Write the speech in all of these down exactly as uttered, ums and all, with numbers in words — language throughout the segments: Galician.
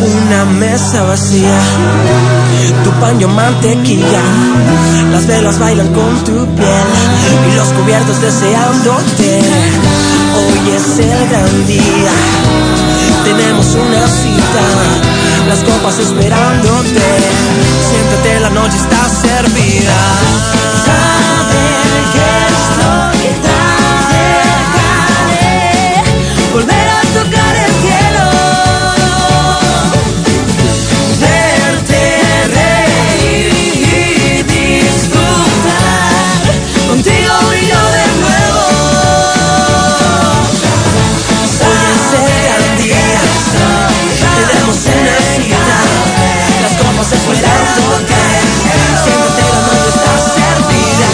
Una mesa vacía, tu pan yo mantequilla, las velas bailan con tu piel y los cubiertos deseándote. Hoy es el gran día, tenemos una cita, las copas esperándote. Siéntate, la noche está servida. Saber que es lo que trae, volver a tocar el cielo, verte reír y disfrutar contigo y yo de nuevo. Hoy es el gran día, tenemos una cita, las copas esperándote. Siéntate, la noche está servida.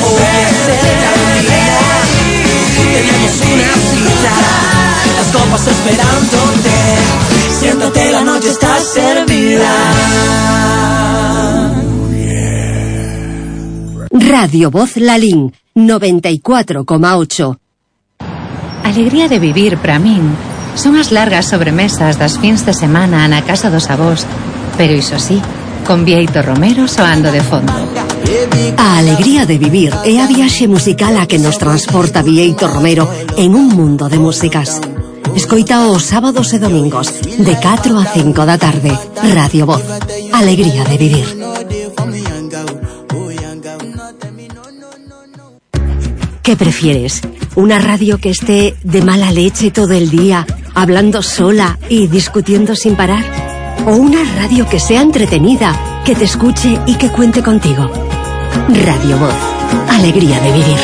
Hoy es el gran día, tenemos una cita, las copas esperándote. Siéntate, la noche está servida. Radio Voz Lalín, noventa y cuatro coma ocho. Alegría de vivir para min son as largas sobremesas das fins de semana na casa dos avós, pero iso sí, con Bieito Romero soando de fondo. A alegría de vivir é a viaxe musical a que nos transporta Bieito Romero en un mundo de músicas. Escoita os sábados e domingos de catro a cinco da tarde. Radio Voz, alegría de vivir. ¿Qué prefieres? ¿Una radio que esté de mala leche todo el día, hablando sola y discutiendo sin parar? ¿O una radio que sea entretenida, que te escuche y que cuente contigo? Radio Voz, alegría de vivir.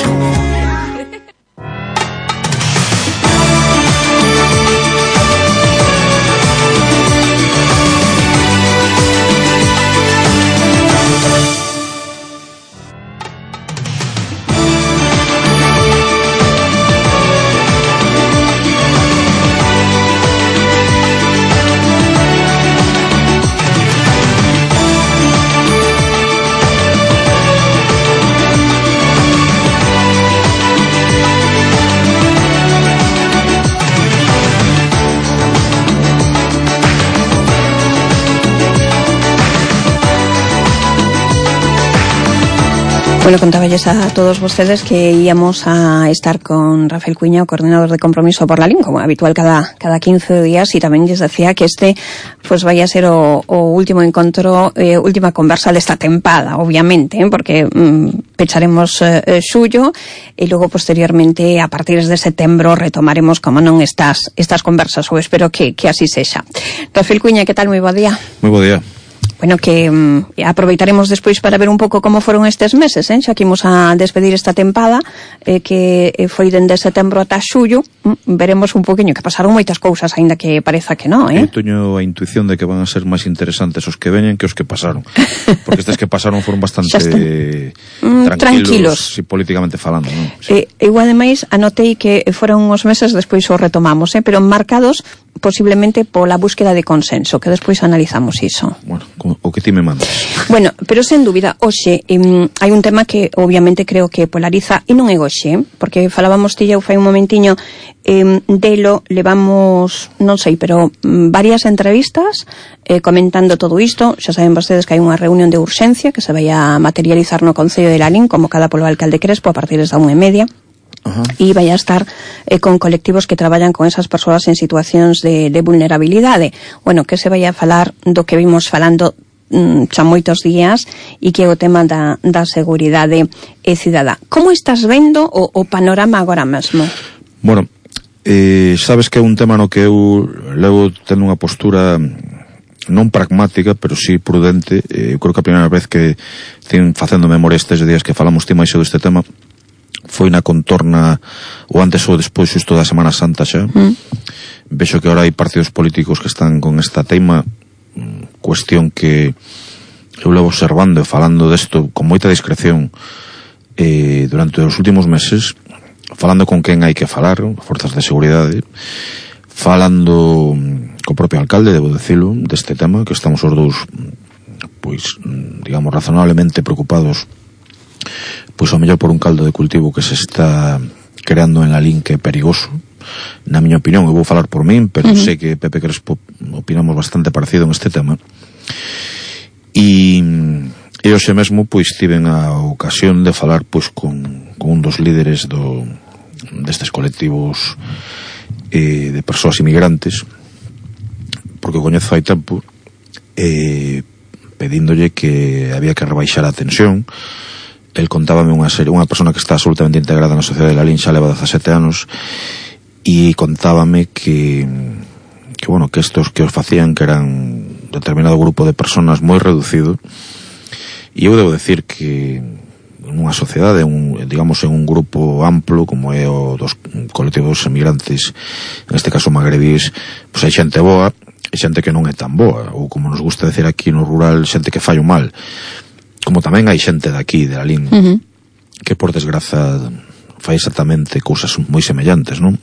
Bueno, contáballes a todos vostedes que íamos a estar con Rafael Cuiña, o coordinador de Compromiso por Lalín, como habitual cada cada quince días, y tamén lles decía que este pues vaya a ser o, o último encontro, eh, última conversa desta tempada, obviamente, ¿eh? porque mm, pecharemos eh, xullo e logo posteriormente a partir de setembro retomaremos, como non, estas estas conversas, ou espero que, que así sexa. Rafael Cuiña, que tal? Moi bo día. Moi bo día. Bueno, que um, aproveitaremos despois para ver un pouco como foron estes meses, eh? Xa que imos a despedir esta tempada, eh, que foi dende setembro ata xullo. Mm, veremos un poquinho, que pasaron moitas cousas, aínda que pareza que non, eh? Eu teño a intuición de que van a ser máis interesantes os que veñen que os que pasaron. Porque estes que pasaron foron bastante mm, tranquilos, tranquilos, si políticamente falando, non? Eh, Sí. eu, ademais, anotei que foron uns meses, despois os retomamos, eh? pero marcados posiblemente pola búsqueda de consenso, que despois analizamos iso. Bueno, o que ti me mandas. Bueno, pero sen dúbida, hoxe eh, hai un tema que obviamente creo que polariza, e non é hoxe, porque falábamos ti eu fai un momentiño eh, delo, levamos, non sei, pero mm, varias entrevistas eh, comentando todo isto. Xa saben vostedes que hai unha reunión de urxencia que se vai a materializar no Concello de Lalín, convocada polo alcalde Crespo a partir da unha e media. Uh-huh. E vai a estar eh, con colectivos que traballan con esas persoas en situacións de, de vulnerabilidade. Bueno, que se vai a falar do que vimos falando mm, xa moitos días, e que é o tema da, da seguridade e cidadá. Como estás vendo o, o panorama agora mesmo? Bueno, eh, sabes que é un tema no que eu levo tendo unha postura non pragmática, pero sí prudente. Eh, eu creo que a primeira vez que ten facendo memoria estes días que falamos ti máis deste tema foi na contorna ou antes ou despois xusto da Semana Santa xa. Mm. Vexo que agora hai partidos políticos que están con esta teima, cuestión que eu levo observando e falando desto con moita discreción eh, durante os últimos meses, falando con quen hai que falar, forzas de seguridade, falando co propio alcalde, debo decirlo, deste tema, que estamos os dous pois, digamos, razonablemente preocupados pois ao mellor por un caldo de cultivo que se está creando en Lalín, que é perigoso, na miña opinión, eu vou falar por min, pero uh -huh. sei que Pepe Crespo opinamos bastante parecido en este tema. E, e hoxe mesmo pois tiven a ocasión de falar pois con, con un dos líderes do, destes colectivos eh, de persoas inmigrantes, porque o coñezo hai tempo, eh, pedíndolle que había que rebaixar a tensión. El contábame unha serie, unha persona que está absolutamente integrada na sociedade de Lalín, xa leva dezasete anos, e contábame que que bueno, que estos que os facían que eran determinado grupo de personas moi reducido, e eu debo decir que nunha sociedade, un, digamos en un grupo amplo como é o dos colectivos emigrantes, en este caso magrebís, pois hai xente boa e xente que non é tan boa, ou como nos gusta decir aquí no rural, xente que fai o mal, como tamén hai xente de aquí, de Lalín, uh -huh. que por desgraza fai exactamente cousas moi semellantes, non?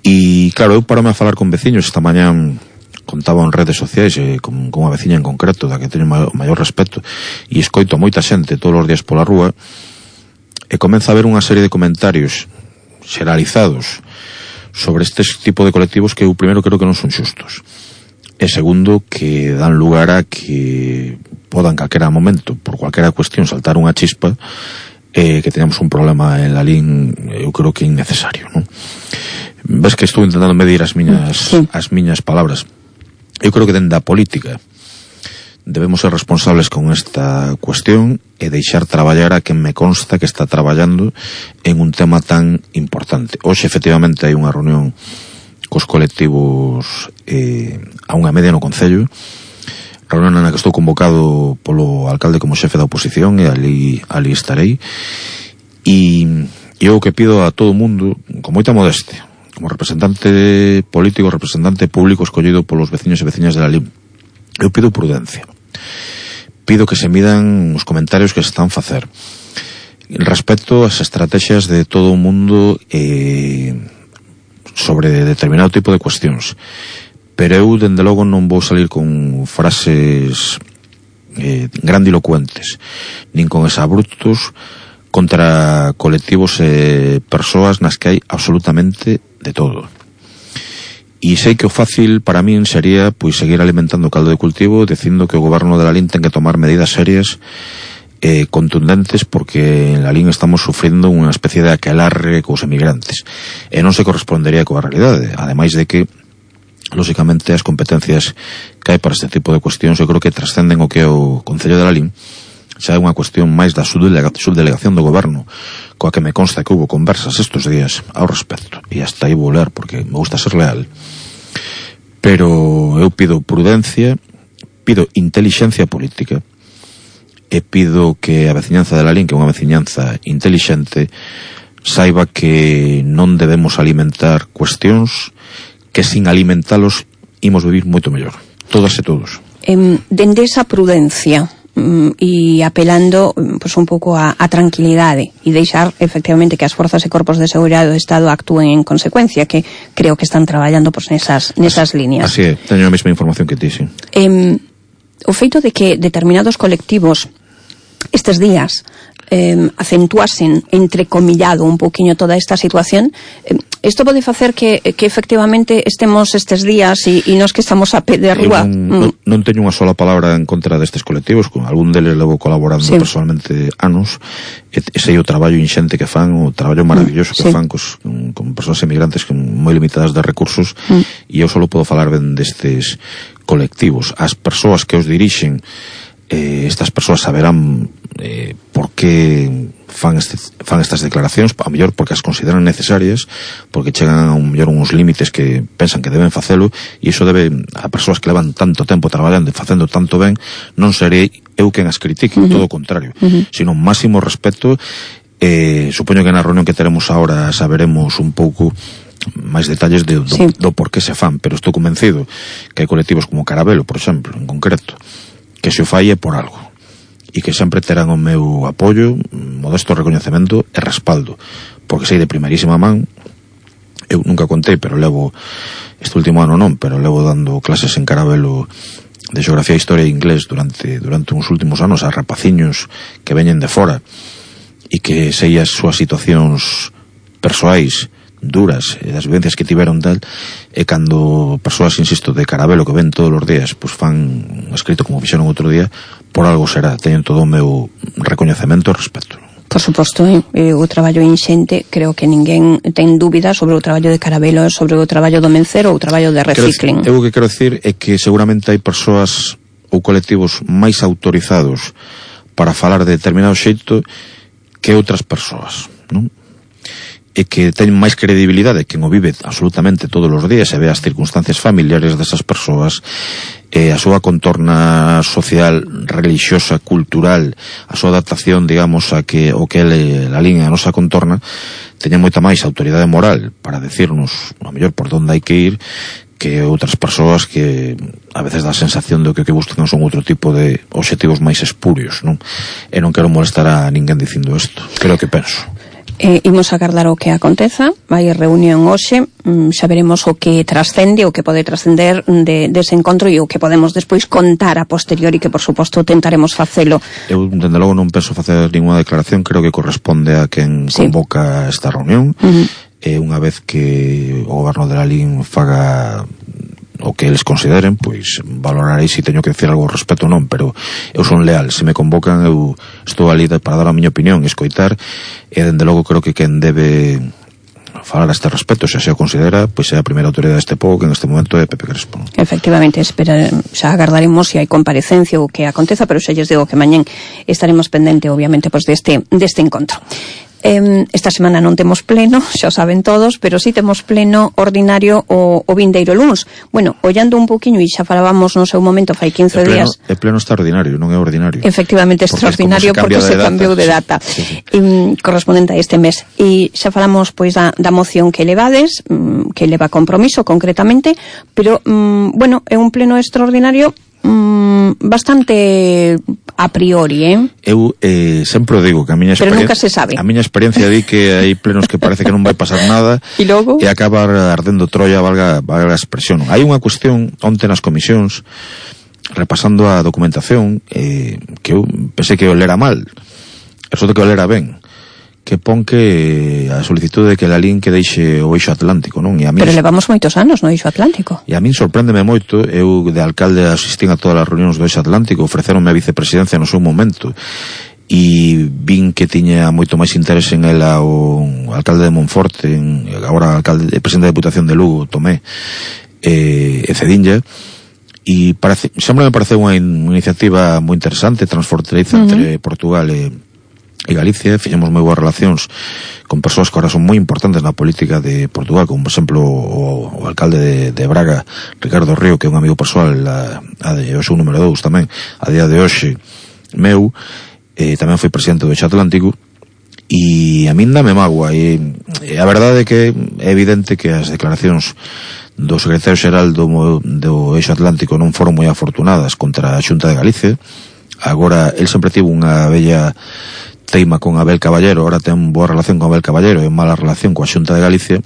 E claro, eu parome a falar con veciños esta mañá, contaba en redes sociais eh, con, con unha veciña en concreto da que teño maior, maior respeto, e escoito a moita xente todos os días pola rúa, e comeza a haber unha serie de comentarios xeralizados sobre este tipo de colectivos que eu primeiro creo que non son xustos, e segundo que dan lugar a que podan calquera momento, por calquera cuestión, saltar unha chispa, eh, que teñamos un problema en Lalín, eu creo que innecesario, non? Ves que estou intentando medir as miñas, sí. as miñas palabras. Eu creo que dende a política debemos ser responsables con esta cuestión e deixar traballar a quen me consta que está traballando en un tema tan importante. Hoxe, efectivamente, hai unha reunión cos colectivos eh, a unha media no Concello, reunión na que estou convocado polo alcalde como xefe da oposición, e ali, ali estarei, e eu que pido a todo o mundo, con moita modestia, como representante político, representante público escollido polos veciños e veciñas de Lalín, eu pido prudencia, pido que se midan os comentarios que se están a facer respecto ás estrategias de todo o mundo eh, sobre determinado tipo de cuestións. Pero eu, dende logo, non vou salir con frases eh, grandilocuentes, nin con exabruptos contra colectivos e eh, persoas nas que hai absolutamente de todo. E sei que o fácil para min sería pois seguir alimentando o caldo de cultivo, dicindo que o goberno de Lalín ten que tomar medidas serias eh, contundentes, porque en Lalín estamos sufrindo unha especie de aquelarre cos emigrantes, e non se correspondería coa realidade, ademais de que lóxicamente as competencias que hai para este tipo de cuestións eu creo que trascenden o que é o Concello de Lalín. Xa é unha cuestión máis da subdelegación do goberno, coa que me consta que hubo conversas estes días ao respecto, e hasta aí vou ler porque me gusta ser leal. Pero eu pido prudencia, pido intelixencia política, e pido que a veciñanza de Lalín, que é unha veciñanza intelixente, saiba que non debemos alimentar cuestións que sin alimentalos imos vivir moito mellor, todas e todos. Eh, dende esa prudencia e apelando pues, un pouco a, a tranquilidade e deixar efectivamente que as forzas e corpos de seguridade do Estado actúen en consecuencia, que creo que están traballando pues, nesas, nesas así, líneas. Así é, teño a mesma información que ti, sí. Eh, o feito de que determinados colectivos estes días eh, acentuasen entrecomillado un pouquiño toda esta situación, eh, isto pode facer que, que efectivamente estemos estes días e, e nos que estamos a pé de rúa. Non, mm. non teño unha sola palabra en contra destes colectivos, con algún deles levo colaborando sí. personalmente anos, e, e sei o traballo inxente que fan, o traballo maravilloso mm. que sí. fan cos, con, con persoas emigrantes moi limitadas de recursos, mm. e eu só podo falar ben destes colectivos. As persoas que os dirixen, eh, estas persoas saberán eh, por que fan, este, fan estas declaracións, a mellor porque as consideran necesarias, porque chegan a un mellor uns límites que pensan que deben facelo, e iso debe a persoas que levan tanto tempo traballando e facendo tanto ben, non serei eu quen as critique, uh -huh. todo o contrario, uh -huh. sino máximo respeto. Eh, supoño que na reunión que teremos ahora saberemos un pouco máis detalles de, do, sí. do por que se fan, pero estou convencido que hai colectivos como Carabelo, por exemplo, en concreto, que se o fai é por algo, e que sempre terán o meu apoio, modesto recoñecemento e respaldo, porque sei de primerísima man. Eu nunca contei, pero levo este último ano non, pero levo dando clases en Carabelo de xeografía, historia e inglés durante durante uns últimos anos a rapaciños que veñen de fora, e que sei as súas situacións persoais duras, e das vivencias que tiveron tal, e cando persoas, insisto, de Carabelo que ven todos os días, pois fan escrito como fixeron outro día, por algo será, teñen todo o meu recoñecemento e respeto. Por suposto, eh, o traballo inxente, creo que ninguén ten dúbida sobre o traballo de Carabelo, sobre o traballo do Mencero ou o traballo de Recicling. Eu o que quero decir é que seguramente hai persoas ou colectivos máis autorizados para falar de determinado xeito que outras persoas, non? E que teñen máis credibilidade que o vive absolutamente todos os días e ve as circunstancias familiares desas persoas, e a súa contorna social, religiosa, cultural, a súa adaptación, digamos, a que o que é a línea a nosa contorna, teñen moita máis autoridade moral para decirnos, a mellor, por onde hai que ir, que outras persoas que a veces dá a sensación de que o que buscan son outro tipo de obxectivos máis espurios, non? E non quero molestar a ninguén dicindo isto, creo que penso. Eh, imos agardar o que aconteza, vai reunión hoxe, mm, xa veremos o que trascende, o que pode trascender de, dese encontro e o que podemos despois contar a posteriori, que por suposto tentaremos facelo. Eu, dende logo, non penso facer ninguna declaración, creo que corresponde a quen sí. convoca esta reunión, uh-huh. e unha vez que o goberno de la L I N faga o que eles consideren, pois valorarei se teño que decir algo ao respecto ou non, pero eu son leal, se me convocan eu estou ali para dar a miña opinión e escoitar, e dende logo creo que quen debe falar a este respecto, se se o considera, pois é a primeira autoridade deste povo, que en este momento é Pepe Crespo. Efectivamente, espera, xa agardaremos se hai comparecencia ou que aconteza, pero xa lles digo que mañén estaremos pendente, obviamente, pois deste, deste encontro. Eh, esta semana non temos pleno, xa saben todos, pero sí temos pleno ordinario o, o vindeiro luns. Bueno, ollando un poquinho, e xa falábamos no seu momento fai quince pleno, días. É pleno extraordinario, non é ordinario. Efectivamente, extraordinario porque se cambiou de data, sí, sí. E, correspondente a este mes. E xa falamos pois da, da moción que levades, que leva compromiso concretamente, pero, mm, bueno, é un pleno extraordinario mm, bastante a priori, eh? Eu eh, sempre o digo que a miña pero nunca se sabe. A miña experiencia di que hai plenos que parece que non vai pasar nada e logo e acaba ardendo Troia, valga, valga a expresión. Hai unha cuestión onte nas comisións, repasando a documentación, eh, que eu pensei que o lera mal, eso de que o lera ben, que pon que a solicitude de que la L I N que deixe o eixo atlántico, non? E a min, pero levamos moitos anos no eixo atlántico. E a min sorpréndeme moito, eu de alcalde asistín a todas as reunións do eixo atlántico, ofreceronme a vicepresidencia no seu momento, e vin que tiña moito máis interese en ela o alcalde de Monforte, en, agora alcalde, presidente da Deputación de Lugo, Tomé, e, e Cedinlla, e parece, sempre me pareceu unha, in, unha iniciativa moi interesante, transfronteriza uh-huh. entre Portugal e e Galicia. Fixemos moi boas relacións con persoas que agora son moi importantes na política de Portugal, como por exemplo o, o alcalde de, de Braga, Ricardo Río, que é un amigo persoal, a, a de, o seu número dous tamén, a día de hoxe meu, eh, tamén foi presidente do Eixo Atlántico, e a min dame mágoa, e, e a verdade é que é evidente que as declaracións do secretario xeral do, do Eixo Atlántico non foron moi afortunadas contra a Xunta de Galicia. Agora, el sempre tivo unha bella teima con Abel Caballero, ahora ten boa relación con Abel Caballero e mala relación coa Xunta de Galicia.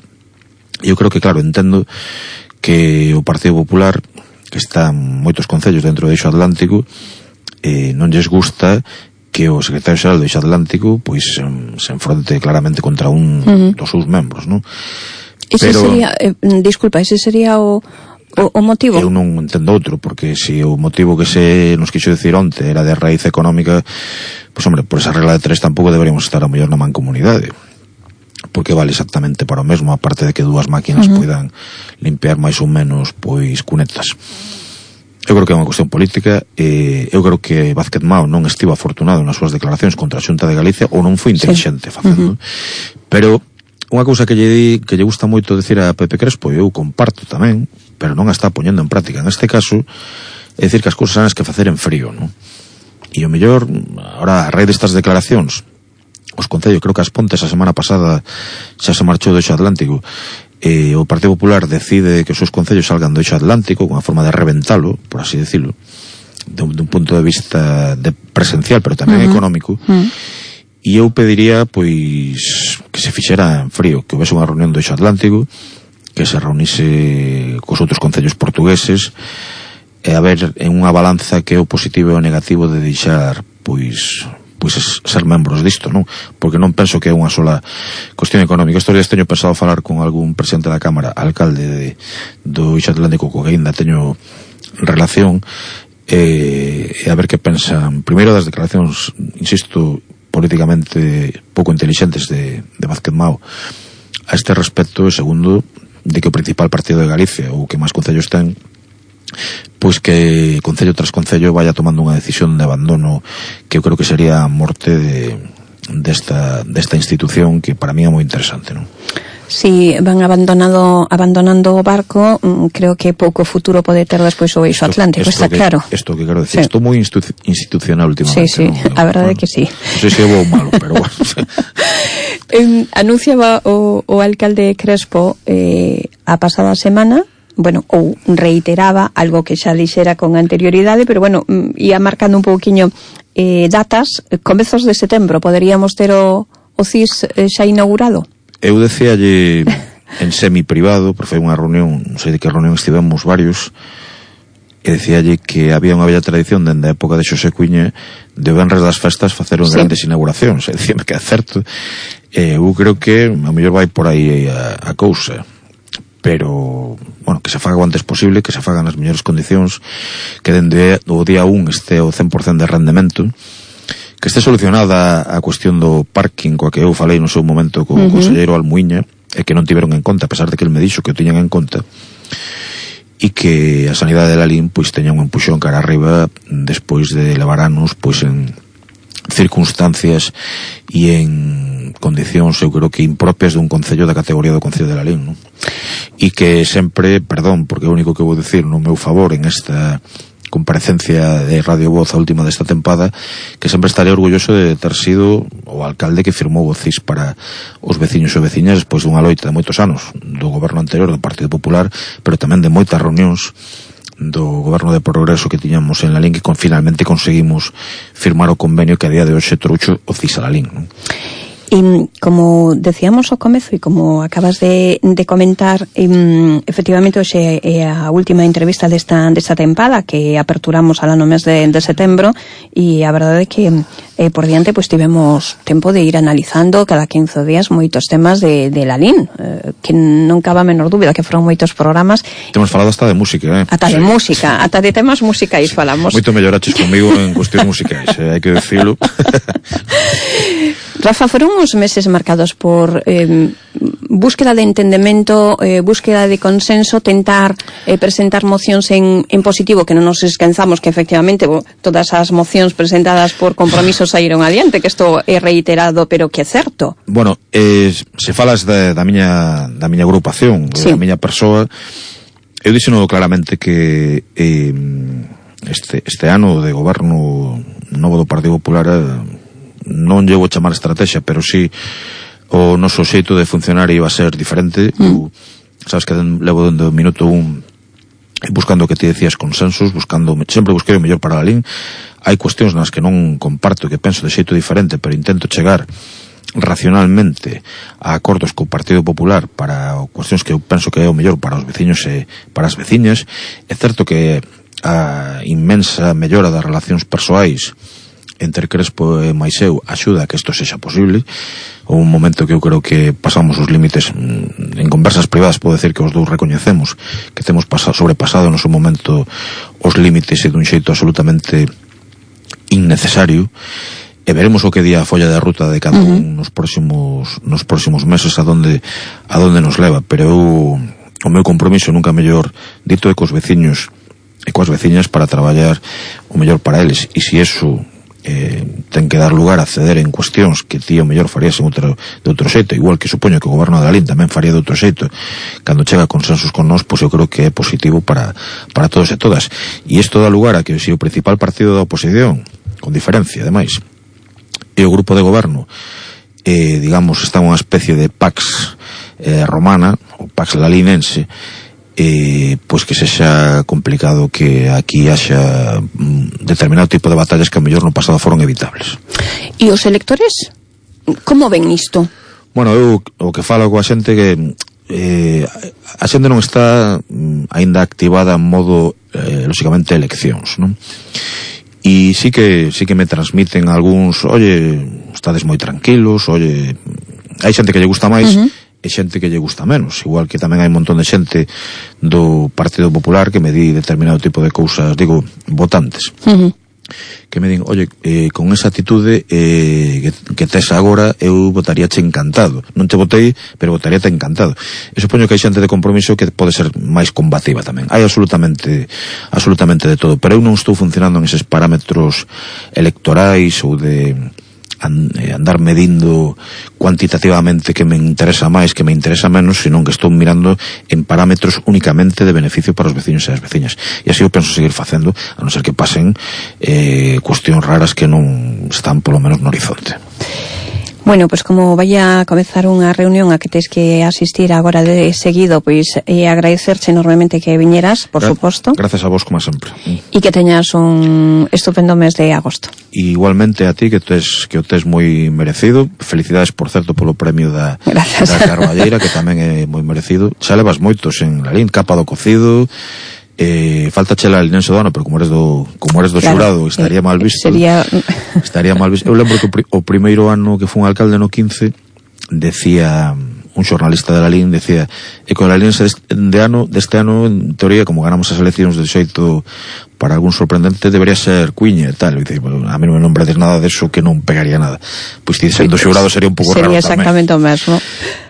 Eu creo que, claro, entendo que o Partido Popular, que está en moitos concellos dentro do Eixo Atlántico, eh, non lles gusta que o secretario xeral do Eixo Atlántico pois se enfronte claramente contra un uh-huh. dos seus membros, non? Ese Pero, sería, eh, disculpa, ese sería o O, o motivo? Eu non entendo outro, porque se o motivo que se nos quixo decir onte era de raíz económica, pois hombre, por esa regla de tres tampouco deberíamos estar a mellor na mancomunidade, porque vale exactamente para o mesmo, aparte de que dúas máquinas uh-huh. poidan limpiar máis ou menos pois cunetas. Eu creo que é unha cuestión política, e eu creo que Vázquez Mao non estivo afortunado nas súas declaracións contra a Xunta de Galicia, ou non foi inteligente sí. facendo. Uh-huh. Pero unha cousa que lle di, que lle gusta moito decir a Pepe Crespo, e eu comparto tamén, pero non a está poñendo en práctica neste caso, é dicir que as cousas hai que facer en frío, non? E o mellor, ahora, a raíz destas declaracións, os concellos, creo que as Pontes a semana pasada xa se marchou do Eixo Atlántico, e o Partido Popular decide que os seus concellos salgan do Eixo Atlántico, con a forma de reventalo, por así decirlo, de un, de un punto de vista de presencial, pero tamén uh-huh. económico, uh-huh. e eu pediría, pois, que se fixera en frío, que houvese unha reunión do Eixo Atlántico, que se reunise cos outros concellos portugueses, e a ver en unha balanza que é o positivo e o negativo de deixar, pois, pois es ser membros disto, non? Porque non penso que é unha sola cuestión económica. Estos días teño pensado falar con algún presidente da Cámara, alcalde de, do Eixo Atlántico, co que ainda teño relación, e, e a ver que pensan primeiro das declaracións, insisto, políticamente pouco intelixentes de, de Vázquez Mao a este respecto, e segundo, de que o principal partido de Galicia, ou que máis concellos ten, pois que concello tras concello vaya tomando unha decisión de abandono que eu creo que sería a morte de, desta, desta institución, que para mí é moi interesante, non? Si van abandonado, abandonando o barco, creo que pouco futuro pode ter despois o Eixo Atlántico, esto, está que, claro. Isto que quero decir, sí. Estou moi institu institucional últimamente. Sí, sí, ¿no? a verdade bueno, é que sí. Non sei se é bo ou malo, pero bueno. eh, anunciaba o, o alcalde Crespo eh, a pasada semana, bueno, ou reiteraba algo que xa dixera con anterioridade, pero bueno, ia marcando un pouquiño eh, datas, comezos de setembro, poderíamos ter o, o C I S eh, xa inaugurado? Eu decíalle en semi-privado, porque foi unha reunión, non sei de que reunión estivemos varios, e decíalle que había unha bella tradición dende a época de Xosé Cuíña de venres das festas facer unhas sí. grandes inauguracións, e dicíame que é certo, e eu creo que a mellor vai por aí a, a cousa, pero, bueno, que se faga o antes posible, que se fagan nas mellores condicións, que dende o día un este o cen por cento de rendemento, que este solucionada a cuestión do parking coa que eu falei no seu momento co uh-huh. conselleiro Almuíña, e que non tiveron en conta, a pesar de que el me dixo que o tiñan en conta, e que a sanidade de Lalín pois teña un empuxón cara arriba despois de levar anos pois en circunstancias e en condicións, eu creo que impropias dun concello da categoría do concello de Lalín, non? E que sempre, perdón, porque é o único que vou dicir no meu favor en esta comparecencia de Radio Voz a última desta tempada, que sempre estaré orgulloso de ter sido o alcalde que firmou o C I S para os veciños e veciñas despois dunha loita de moitos anos do goberno anterior do Partido Popular, pero tamén de moitas reunións do goberno de progreso que tiñamos en Lalín, que con, finalmente conseguimos firmar o convenio que a día de hoxe trouxo o C I S a Lalín, non? E como decíamos ao comezo e como acabas de, de comentar, um, efectivamente hoxe é a última entrevista desta, desta tempada que aperturamos alá no mes de, de setembro, e a verdade é que eh, por diante pues, tivemos tempo de ir analizando cada quince días moitos temas de, de Lalín, eh, que non cabe a menor dúbida que foron moitos programas. Temos falado hasta de música, eh? Ata de sí. música, ata de temas musicais falamos. Moito melloraches comigo en cuestións musicais, eh? Hai que decirlo. Rafa, foron uns meses marcados por eh, búsqueda de entendemento, eh, búsqueda de consenso, tentar eh, presentar mocións en, en positivo, que non nos esquenzamos que efectivamente bo, todas as mocións presentadas por compromisos saíron adiante, que isto é reiterado, pero que é certo. Bueno, eh, se falas da, da miña da miña agrupación, sí. da miña persoa, eu dixeno claramente que eh, este, este ano de goberno novo do Partido Popular eh, non llevo a chamar estrategia, pero sí o noso xeito de funcionar iba a ser diferente. Mm. Eu, sabes que levo dende o minuto un buscando o que te decías consensos, buscando, sempre busquei o mellor para Lalín. Hai cuestións nas que non comparto, que penso de xeito diferente, pero intento chegar racionalmente a acordos co Partido Popular para cuestións que eu penso que é o mellor para os veciños e para as veciñas. É certo que a inmensa mellora das relacións persoais entre Crespo e máis eu axuda a que isto sexa posible. Houve un momento que eu creo que pasamos os límites en conversas privadas, podo decir que os dous recoñecemos que temos pasado, sobrepasado no seu momento os límites e dun xeito absolutamente innecesario, e veremos o que día a folla de ruta de cada un uh-huh. nos próximos nos próximos meses a donde a donde nos leva, pero eu, o meu compromiso nunca mellor dito é cos veciños e coas veciñas para traballar o mellor para eles, e se eso eh, ten que dar lugar a ceder en cuestións que ti o mellor farías en outro, de outro xeito, igual que supoño que o goberno de Lalín tamén faría de outro xeito cando chega a consensos con nós, pois eu creo que é positivo para, para todos e todas, e isto dá lugar a que se o principal partido da oposición, con diferencia ademais, e o grupo de goberno eh, digamos, está unha especie de Pax eh, romana, ou Pax lalinense, eh, pois que sexa complicado que aquí haxa mm, determinado tipo de batallas que a mellor no pasado foron evitables. E os electores, como ven isto? Bueno, eu o que falo coa xente que eh, a xente non está mm, aínda activada en modo eh, lógicamente eleccións, non? e sí que sí que me transmiten algúns, oye, estades moi tranquilos, oye, hai xente que lle gusta máis, uh-huh, e xente que lle gusta menos, igual que tamén hai un montón de xente do Partido Popular que me di determinado tipo de cousas, digo, votantes, uh-huh, que me din, oye, eh, con esa atitude eh, que, que tes agora, eu votaríache encantado. Non te votei, pero votaríate encantado. E supoño que hai xente de compromiso que pode ser máis combativa tamén. Hai absolutamente absolutamente de todo, pero eu non estou funcionando en eses parámetros electorais ou de andar medindo cuantitativamente que me interesa máis, que me interesa menos, senón que estou mirando en parámetros únicamente de beneficio para os veciños e as veciñas. E así eu penso seguir facendo, a non ser que pasen eh, cuestións raras que non están polo menos no horizonte. Bueno, pois pues como vai a comezar unha reunión a que tens que asistir agora de seguido, pois pues, eh, agradecerche enormemente que viñeras, por Gra suposto. Gracias a vos, como sempre. E que teñas un estupendo mes de agosto. E igualmente a ti, que tes, que o tes moi merecido. Felicidades, por certo, polo premio da, da Carballeira, que tamén é moi merecido. Xa levas moitos en Lalín, capa do cocido. Eh, falta chela el Linense do ano, pero como eres do como eres do claro, xurado, estaría eh, mal visto. Sería estaría mal visto. Eu lembro que o, pri, o primeiro ano que fun alcalde no quince, decía un xornalista de Lalín, decía, e con o Linense de ano, deste ano, en teoría, como ganamos as eleccións de xeito para algún sorprendente, debería ser Cuiña e tal. E dice, bueno, a mí non me nombrades nada deso que non pegaría nada. Pois ti sendo xurado sería un pouco raro tamén. Sería exactamente o mesmo.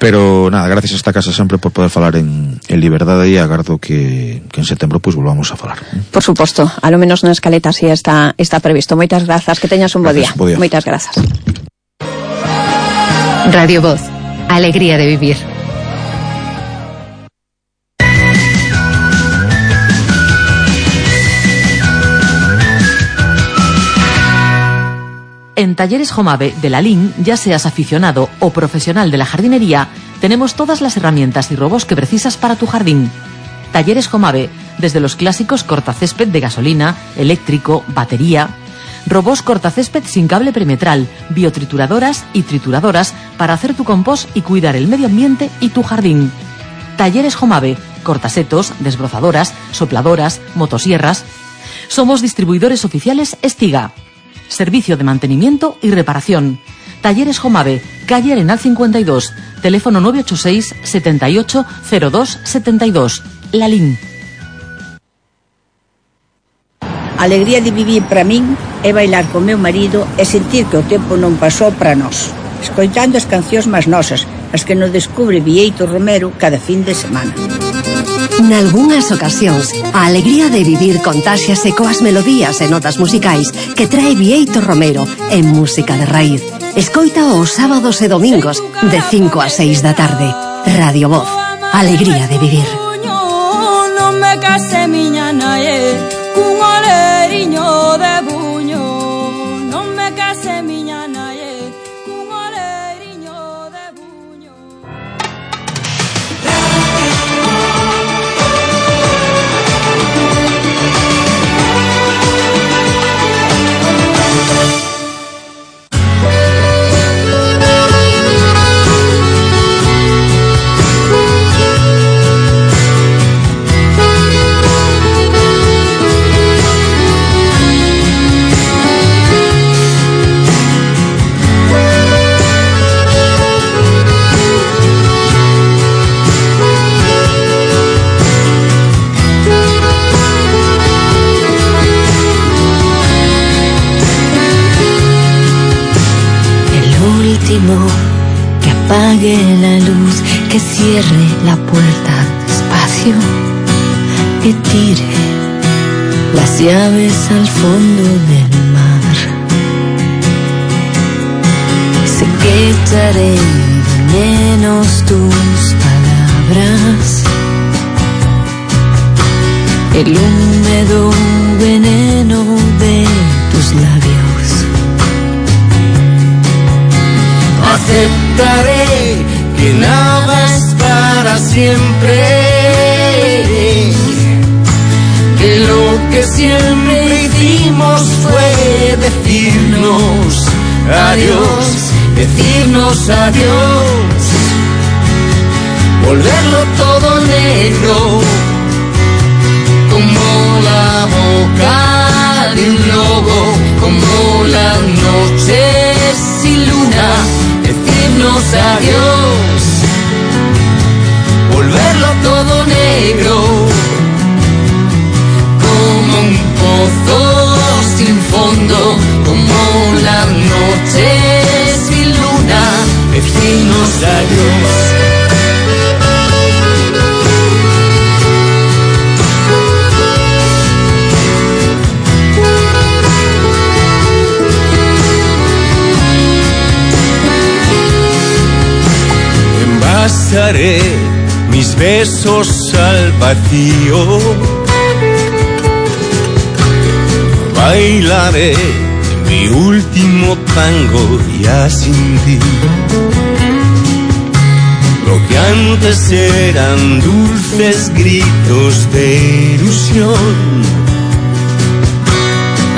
Pero nada, gracias a esta casa sempre por poder falar en, en liberdade, e agardo que, que en setembro pois pues, volvamos a falar. Por suposto, a lo menos na escaleta así está, está previsto. Moitas grazas, que teñas un bo día. día. Moitas grazas. Radio Voz, alegría de vivir. En Talleres Jomave de Lalín, ya seas aficionado o profesional de la jardinería, tenemos todas las herramientas y robos que precisas para tu jardín. Talleres Jomave, desde los clásicos cortacésped de gasolina, eléctrico, batería, robos cortacésped sin cable perimetral, biotrituradoras y trituradoras para hacer tu compost y cuidar el medio ambiente y tu jardín. Talleres Jomave, cortasetos, desbrozadoras, sopladoras, motosierras. Somos distribuidores oficiales Estiga. Servicio de mantenimiento y reparación. Talleres Jomave, calle Arenal cincuenta y dos, teléfono nueve ocho seis, setenta y ocho, cero dos, setenta y dos. Lalín. Alegría de vivir para min é bailar con meu marido e sentir que o tempo non pasou para nós, escoitando as cancións máis nosas, as que nos descubre Bieito Romero cada fin de semana. Nalgúnas ocasións, a alegría de vivir contáxiase coas melodías e notas musicais que trae Bieito Romero en música de raíz. Escoita os sábados e domingos de cinco a seis da tarde. Radio Voz, alegría de vivir. Non me case miña nae cun oleriño de buño. Non me case miña nae cun oleriño de buño. Que apague la luz, que cierre la puerta despacio, que tire las llaves al fondo del mar. Sé que echaré menos tus palabras, el húmedo veneno de tus labios. Aceptaré que nada es para siempre, que lo que siempre hicimos fue decirnos adiós, decirnos adiós, volverlo todo negro, como la boca de un lobo. adiós. Envasaré mis besos al vacío, bailaré mi último tango ya sin ti. Lo que antes eran dulces gritos de ilusión,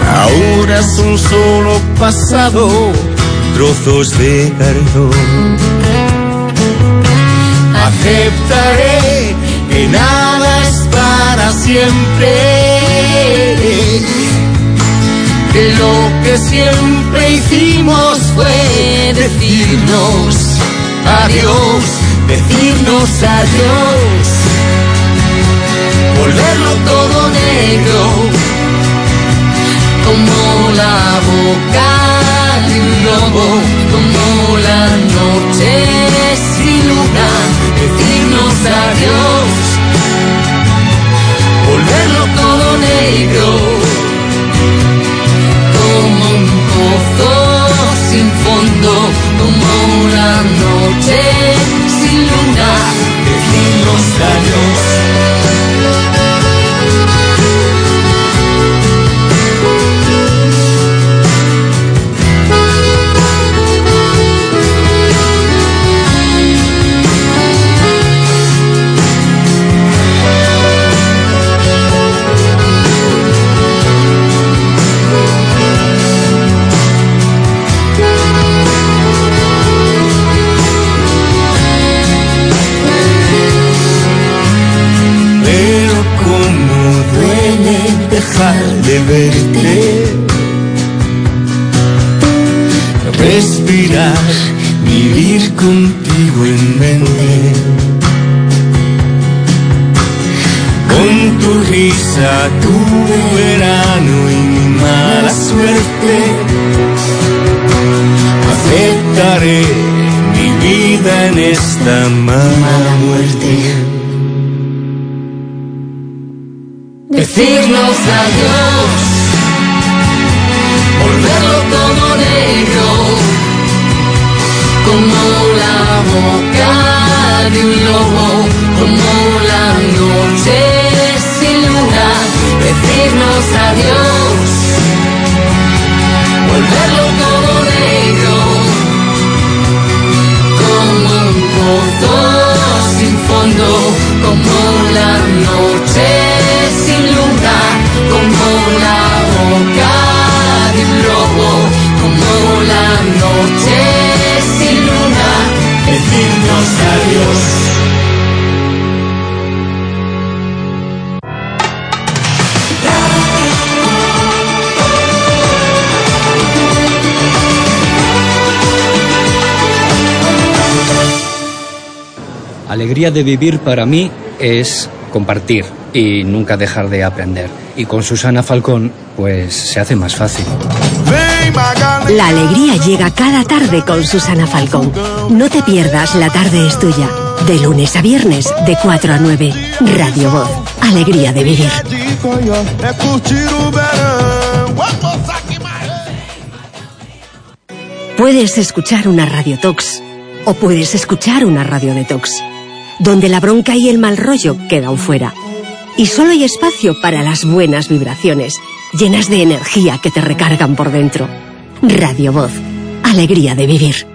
ahora son solo pasado, trozos de cartón. Aceptaré que nada es para siempre, que lo que siempre hicimos fue decirnos adiós, decirnos adiós, volverlo todo negro, como la boca de un lobo, como la noche sin luna, decirnos adiós, volverlo todo negro, como un pozo sin fondo, como la noche sin luna, decirnos adiós. De verte, respirar, vivir contigo en mente, con tu risa, tu verano y mi mala suerte. Aceptaré mi vida en esta mala muerte. Decirnos adiós, volverlo todo negro, como la boca de un lobo, como la noche sin luna, decirnos adiós, volverlo todo negro, como un pozo sin fondo, como la noche sin luna, como la boca de un lobo, como la noche sin luna, decirnos adiós. Alegría de vivir para mí es compartir y nunca dejar de aprender. Y con Susana Falcón, pues se hace más fácil. La alegría llega cada tarde con Susana Falcón. No te pierdas La Tarde es Tuya. De lunes a viernes, de cuatro a nueve. Radio Voz. Alegría de vivir. Puedes escuchar una Radio Tox o puedes escuchar una Radio Detox, donde la bronca y el mal rollo quedan fuera. Y solo hay espacio para las buenas vibraciones, llenas de energía que te recargan por dentro. Radio Voz. Alegría de vivir.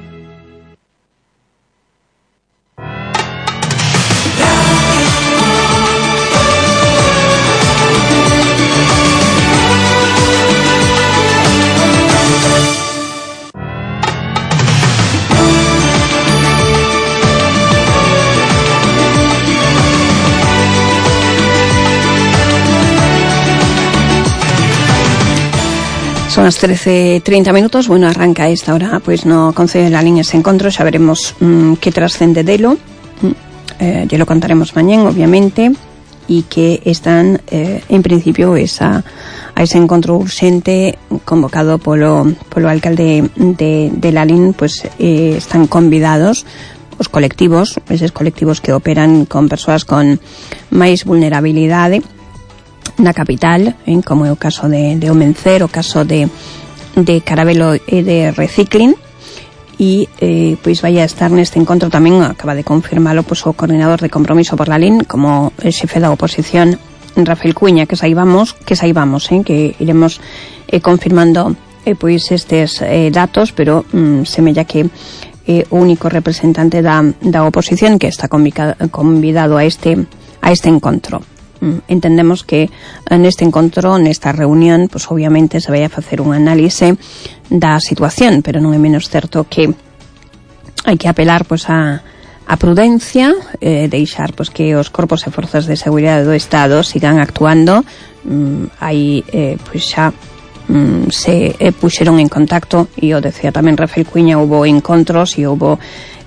Son as trece treinta minutos. Bueno, arranca a esta hora pois no Concello de Lalín ese encontro. Xa veremos mmm, que trascende delo. Eh, lle lo contaremos mañén, obviamente, e que están eh, en principio esa, a ese encontro urxente convocado polo, polo alcalde de, de Lalín, pois eh, están convidados os colectivos, eses colectivos que operan con persoas con máis vulnerabilidade na capital, eh, como é o caso de, de Omencer, o caso de, de Carabelo e de Recicling, e eh, pois vai a estar neste encontro tamén, acaba de confirmalo pois, o coordinador de Compromiso por la L I N como xefe da oposición, Rafael Cuña, que saibamos, que saibamos, eh, que iremos eh, confirmando eh, pois estes eh, datos, pero mm, semella que eh, o único representante da, da oposición que está convidado a este a este encontro. Entendemos que neste encontro, nesta reunión, pues obviamente se vai a facer un análise da situación, pero non é menos certo que hai que apelar pues a, a prudencia, eh, deixar pues que os corpos e forzas de seguridade do Estado sigan actuando. Mm, aí eh, pues xa mm, se eh, puxeron en contacto, e o decía tamén Rafael Cuña, houbo encontros e houbo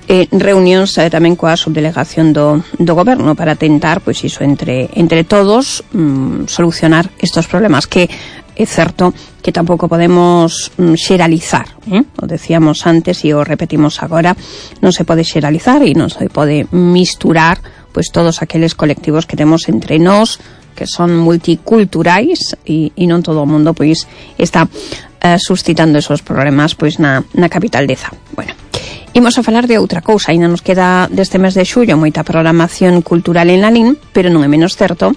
Eh, reunións eh, tamén coa subdelegación do, do goberno para tentar, pois iso, entre, entre todos mm, solucionar estos problemas, que é certo que tampouco podemos mm, xeralizar, eh? O decíamos antes e o repetimos agora, non se pode xeralizar e non se pode misturar pois todos aqueles colectivos que temos entre nós, que son multiculturais, e, e non todo o mundo pois está eh, suscitando esos problemas pois na, na capital de Zá. Bueno, imos a falar de outra cousa. Ainda nos queda deste mes de xullo moita programación cultural en la L I N, pero non é menos certo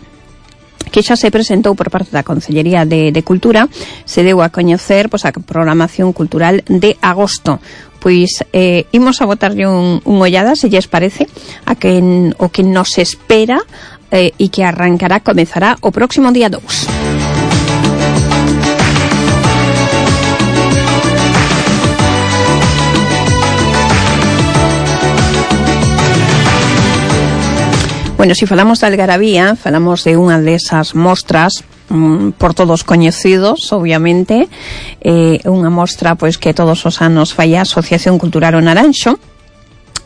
que xa se presentou por parte da Consellería de, de Cultura, se deu a coñecer pois, a programación cultural de agosto. Pois eh, imos a botarlle un, un ollada, se lles parece, a que en, o que nos espera eh, e que arrancará, comezará o próximo día dous. Bueno, se si falamos de Algarabía, falamos de unha desas mostras mm, por todos coñecidos, obviamente, eh, unha mostra pois que todos os anos fai a Asociación Cultural O Naranxo,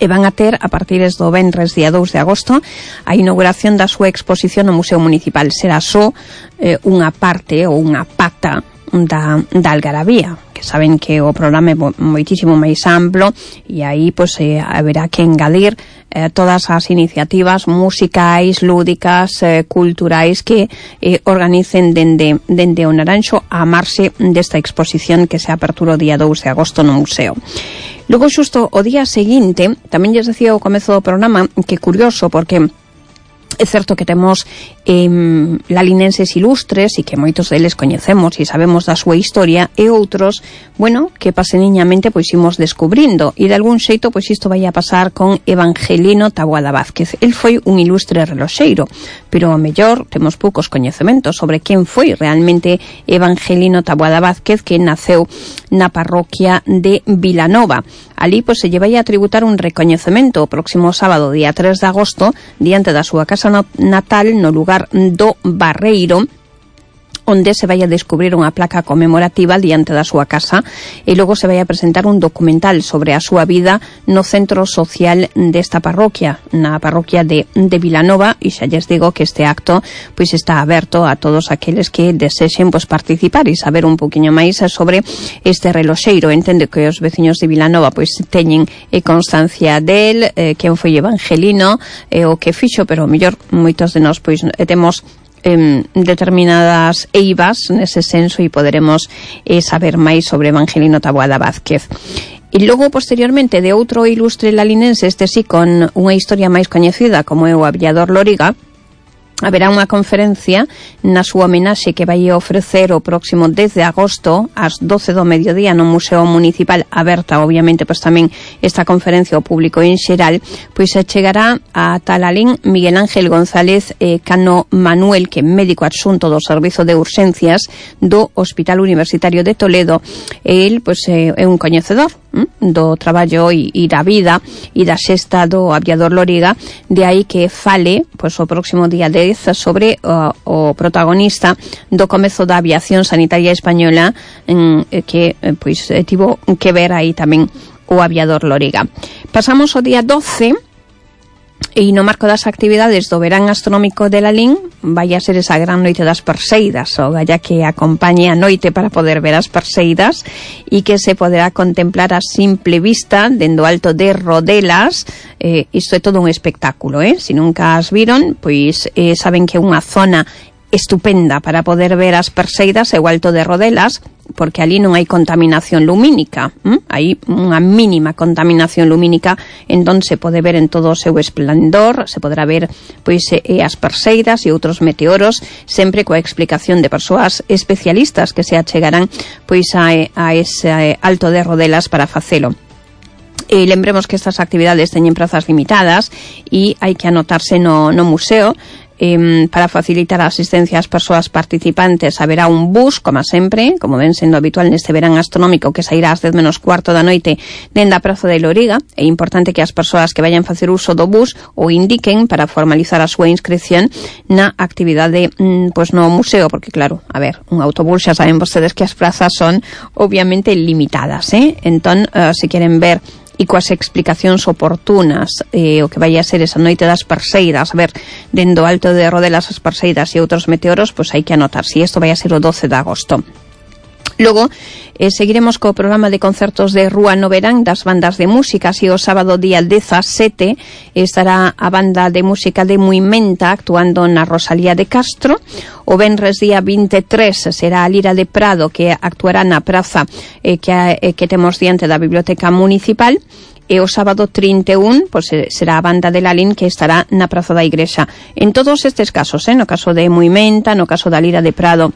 e van a ter a partir do venres día dous de agosto a inauguración da súa exposición no Museo Municipal. Será só eh, unha parte ou unha pata da, da Algarabía, que saben que o programa é moitísimo máis amplo, e aí pois, eh, haberá que engadir eh, todas as iniciativas musicais, lúdicas, eh, culturais que eh, organicen dende, dende o Naranxo a amarse desta exposición que se apertura o día dous de agosto no museo. Logo, xusto o día seguinte, tamén lles decía ao comezo do programa que curioso, porque é certo que temos eh, lalinenses ilustres e que moitos deles coñecemos e sabemos da súa historia, e outros, bueno, que paseniñamente pois imos descubrindo, e de algún xeito pois isto vai a pasar con Evangelino Taboada Vázquez. El foi un ilustre reloxeiro, pero a mellor temos poucos coñecementos sobre quen foi realmente Evangelino Taboada Vázquez, que naceu na parroquia de Vilanova. Ali pois se lle vai a tributar un recoñecemento o próximo sábado, día tres de agosto, diante da súa casa natal no lugar do Barreiro, onde se vai a descubrir unha placa conmemorativa diante da súa casa, e logo se vai a presentar un documental sobre a súa vida no centro social desta parroquia, na parroquia de, de Vilanova, e xa lles digo que este acto pois está aberto a todos aqueles que desexen pois, participar e saber un poquinho máis sobre este reloxeiro. Entendo que os veciños de Vilanova pois teñen eh, constancia del, eh, quen foi Evangelino, eh, o que fixo, pero mellor moitos de nós pois eh, temos Eh, determinadas eivas nese senso, e poderemos eh, saber máis sobre Evangelino Taboada Vázquez. E logo, posteriormente, de outro ilustre lalinense, este sí con unha historia máis coñecida, como é o Aviador Loriga, haberá unha conferencia na súa homenaxe que vai ofrecer o próximo dez de agosto ás doce do mediodía no Museo Municipal, aberta obviamente pois tamén esta conferencia ao público en xeral. Pois se chegará a Talalín Miguel Ángel González eh, Cano Manuel, que é médico adxunto do Servizo de Urxencias do Hospital Universitario de Toledo. El pois é un coñecedor hm, do traballo e, e da vida e da xesta do Aviador Loriga, de aí que fale pois o próximo día de sobre o, o protagonista do comezo da aviación sanitaria española, en, que pois tivo que ver aí tamén o Aviador Loriga. Pasamos ao día doce, E no marco das actividades do verán astronómico de Lalín vai a ser esa gran noite das Perseidas, o galla que acompañe a noite para poder ver as Perseidas e que se poderá contemplar a simple vista dendo alto de Rodelas. Eh, isto é todo un espectáculo, eh? Se nunca as viron, pois eh, saben que é unha zona estupenda para poder ver as Perseidas é o alto de Rodelas, porque ali non hai contaminación lumínica, ¿m? Hai unha mínima contaminación lumínica, entón se pode ver en todo o seu esplendor, se poderá ver pois eh, as Perseidas e outros meteoros, sempre coa explicación de persoas especialistas que se achegarán pois a, a ese alto de Rodelas para facelo. E lembremos que estas actividades teñen prazas limitadas e hai que anotarse no, no museo. Eh, para facilitar a asistencia ás persoas participantes haberá un bus, como sempre, como ven sendo habitual neste verán astronómico, que sairá ás dez menos cuarto da noite dende a Praza de Loriga. É importante que as persoas que vayan facer uso do bus o indiquen para formalizar a súa inscripción na actividade mm, pois no museo, porque claro, a ver, un autobús xa saben vostedes que as prazas son obviamente limitadas, eh? Entón, uh, se queren ver e coas explicacións oportunas eh, o que vai a ser esa noite das Perseidas, a ver, dendo alto de Rodelas as Perseidas e outros meteoros, pois hai que anotar, si isto vai a ser o doce de agosto. Logo, eh, seguiremos co programa de concertos de rúa no verán das bandas de música, así o sábado día dezasete estará a banda de música de Muimenta actuando na Rosalía de Castro. O venres día vinte e tres será a Lira de Prado, que actuará na praza eh, que, eh, que temos diante da Biblioteca Municipal. E o sábado trinta e un pois, será a banda de Lalín, que estará na Praza da Igrexa. En todos estes casos, eh, no caso de Muimenta, no caso da Lira de Prado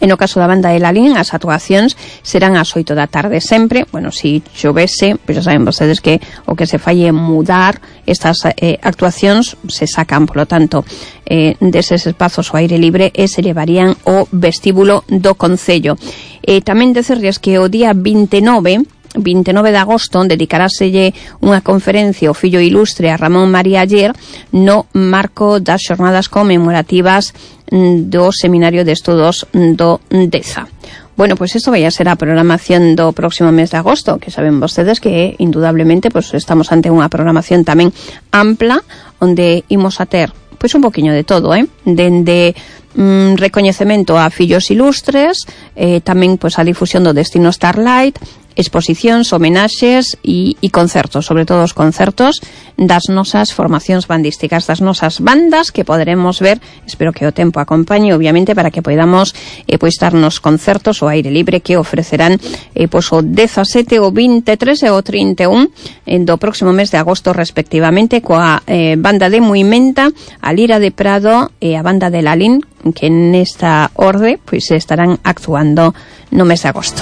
e no caso da banda de Lalín, as actuacións serán ás oito da tarde sempre. Bueno, se chovese, pois xa saben vostedes que o que se fai é mudar estas eh, actuacións, se sacan, polo tanto, eh, deses espazos ao aire libre e se levarían ao vestíbulo do Concello. E tamén decerles que o día vinte e nove de agosto dedicaráselle unha conferencia ao fillo ilustre a Ramón María Aller no marco das xornadas conmemorativas do Seminario de Estudos do Deza. Bueno, pois pues isto vai a ser a programación do próximo mes de agosto, que saben vostedes que indudablemente pues, estamos ante unha programación tamén ampla, onde imos a ter pois pues, un poquinho de todo, eh? Dende mm, recoñecemento a fillos ilustres, eh, tamén pois pues, a difusión do Destino Starlight, exposicións, homenaxes e, e concertos, sobre todo os concertos das nosas formacións bandísticas, das nosas bandas que poderemos ver, espero que o tempo acompañe, obviamente, para que podamos eh, pois dar nos concertos ao aire libre que ofrecerán eh, pois o dezasete, o vinte e tres e o trinta e un eh, do próximo mes de agosto respectivamente, coa eh, banda de Muimenta, a Lira de Prado e a banda de Lalín, que nesta orde pois estarán actuando no mes de agosto.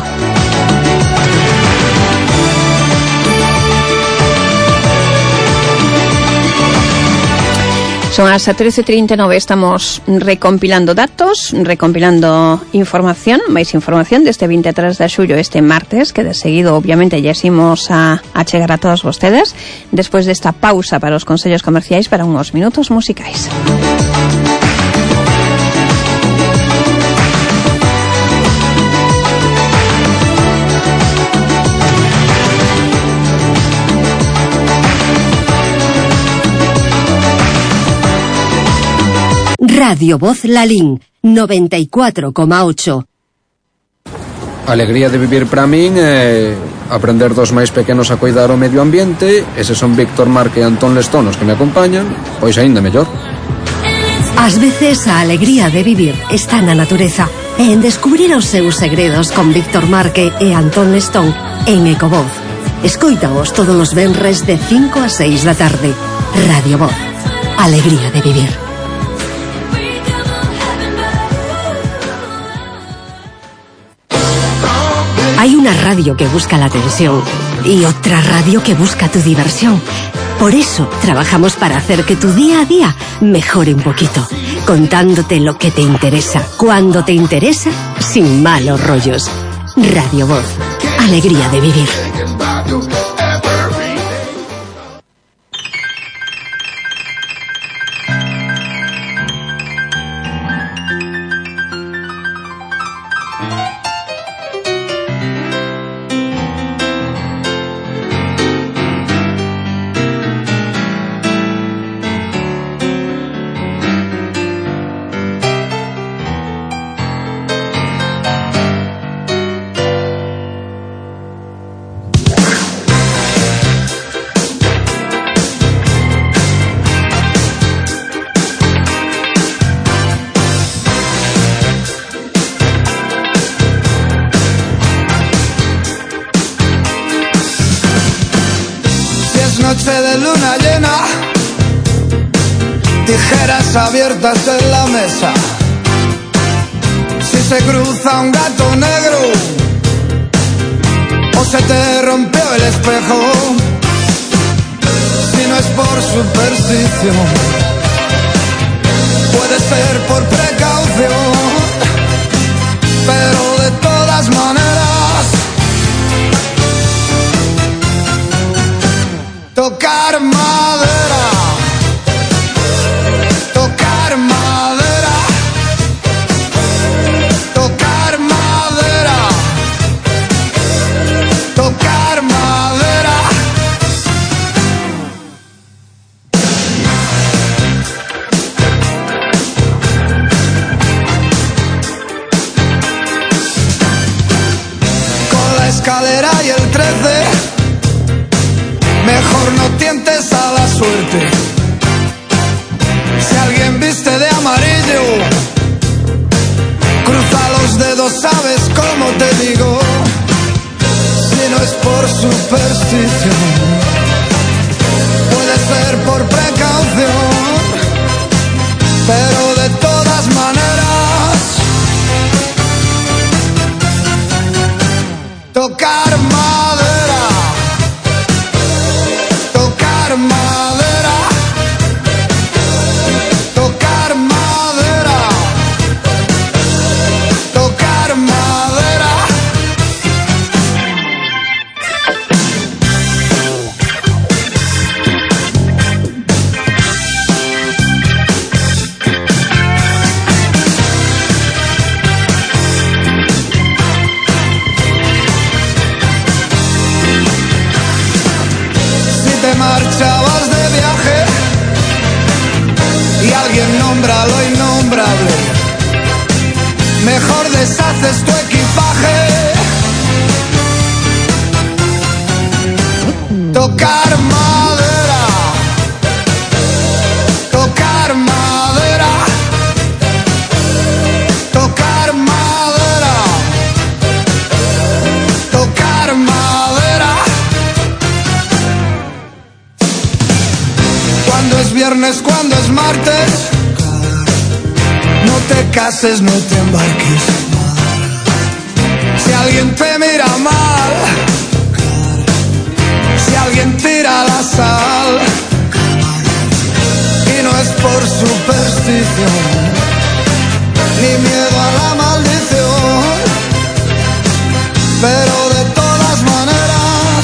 Son as trece e trinta e nove, estamos recompilando datos, recompilando información, máis información deste vinte e tres de xullo, este martes, que de seguido obviamente ya ximos a, a chegar a todos vostedes, despois desta pausa para os consellos comerciais para uns minutos musicais. Radio Voz Lalín, noventa e cuatro coma ocho. A alegría de vivir para min é aprender dos máis pequenos a cuidar o medio ambiente. Eses son Víctor Marque e Antón Lestón os que me acompañan, pois aínda mellor. Ás veces a alegría de vivir está na natureza e en descubrir os seus segredos con Víctor Marque e Antón Lestón en Ecovoz. Escoítaos todos os venres de cinco a seis da tarde. Radio Voz, alegría de vivir. Hay una radio que busca la atención y otra radio que busca tu diversión. Por eso trabajamos para hacer que tu día a día mejore un poquito, contándote lo que te interesa, cuando te interesa, sin malos rollos. Radio Voz, alegría de vivir. tijeras abiertas en la mesa. Si se cruza un gato negro o se te rompió el espejo, si no es por superstición, puede ser por precaución, pero de todas maneras, tocar madera, tocar madera, tocar madera, tocar madera. Con la escalera y el trece, mejor no tientes a la suerte. Si alguien viste de amarillo, cruza los dedos, sabes cómo te digo. Si no es por superstición, puede ser por precaución, pero de todas maneras, tocar madera, tocar madera, tocar madera, tocar madera. Te marchabas de viaje y alguien nombra lo innombrable, mejor deshaces tu equipaje. Tocar madera, tocar madera, tocar madera, tocar madera. Cuando es viernes, cuando es martes, no te cases, no te embarques. Si alguien te mira mal, si alguien tira la sal, y no es por superstición, ni miedo a la maldición, pero de todas maneras,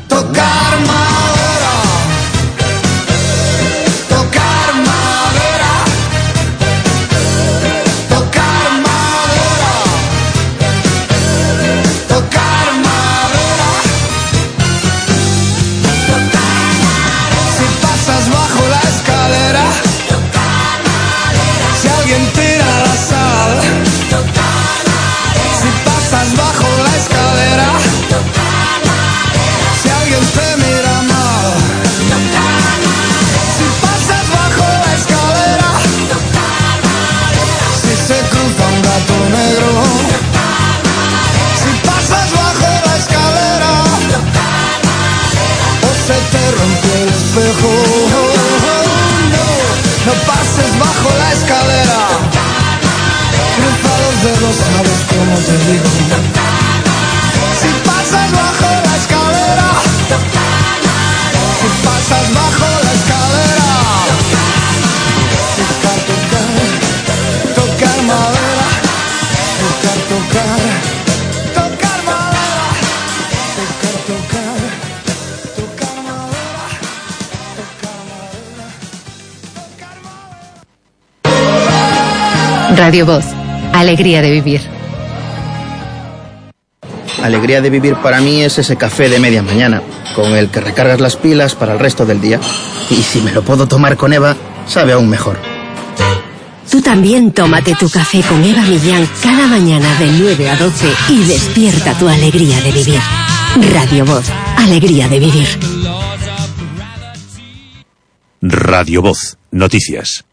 tocar madera, tocar madera, tocar madera, tocar madera, si pasas bajo la escalera, si alguien tira la sal, si pasas bajo la escalera, si alguien te mira mal, si pasas bajo la escalera, si se cruza un gato negro, si pasas bajo la escalera, o se te rompió el espejo, no, no pases bajo la escalera, cruza los dedos, sabes cómo te digo. Si pasas bajo la escalera, si pasas bajo la escalera, tocar, tocar, tocar madera, tocar, tocar, tocar madera, tocar, tocar, tocar madera, tocar madera, tocar madera. Radio Voz, alegría de vivir. Alegría de vivir para mí es ese café de media mañana, con el que recargas las pilas para el resto del día. Y si me lo puedo tomar con Eva, sabe aún mejor. Tú también tómate tu café con Eva Millán cada mañana de nueve a doce y despierta tu alegría de vivir. Radio Voz, alegría de vivir. Radio Voz, noticias.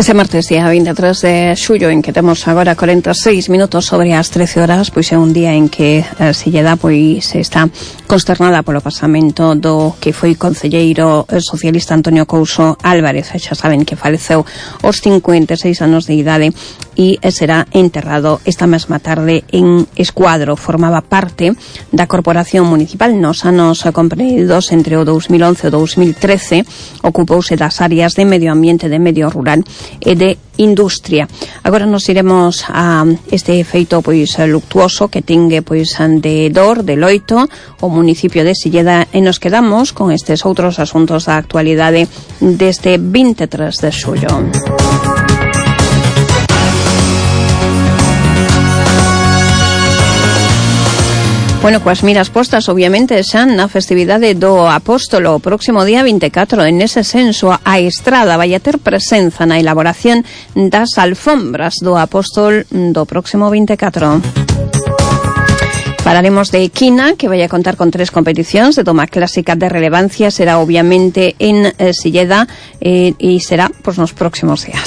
Este martes, día veintitrés de xullo, en que temos agora cuarenta e seis minutos sobre as trece horas, pois é un día en que a Silleda pois está consternada polo pasamento do que foi concelleiro socialista Antonio Couso Álvarez. Xa saben que faleceu aos cincuenta e seis anos de idade e será enterrado esta mesma tarde en Escuadro. Formaba parte da Corporación Municipal nos anos comprendidos entre o dous mil once e o dous mil trece. Ocupouse das áreas de medio ambiente, de medio rural e de industria. Agora nos iremos a este feito pois luctuoso que tingue pois de Dor, de Loito, o municipio de Silleda, e nos quedamos con estes outros asuntos da actualidade deste veintitrés de xullo. Bueno, coas miras postas, obviamente, xa na festividade do Apóstolo, o próximo día veinticuatro, en ese senso, a Estrada vai a ter presenza na elaboración das alfombras do Apóstol do próximo veinticuatro. Falaremos de Equina, que vai a contar con tres competicións de toma clásica de relevancia. Será, obviamente, en eh, Silleda eh, e será pois, nos próximos días.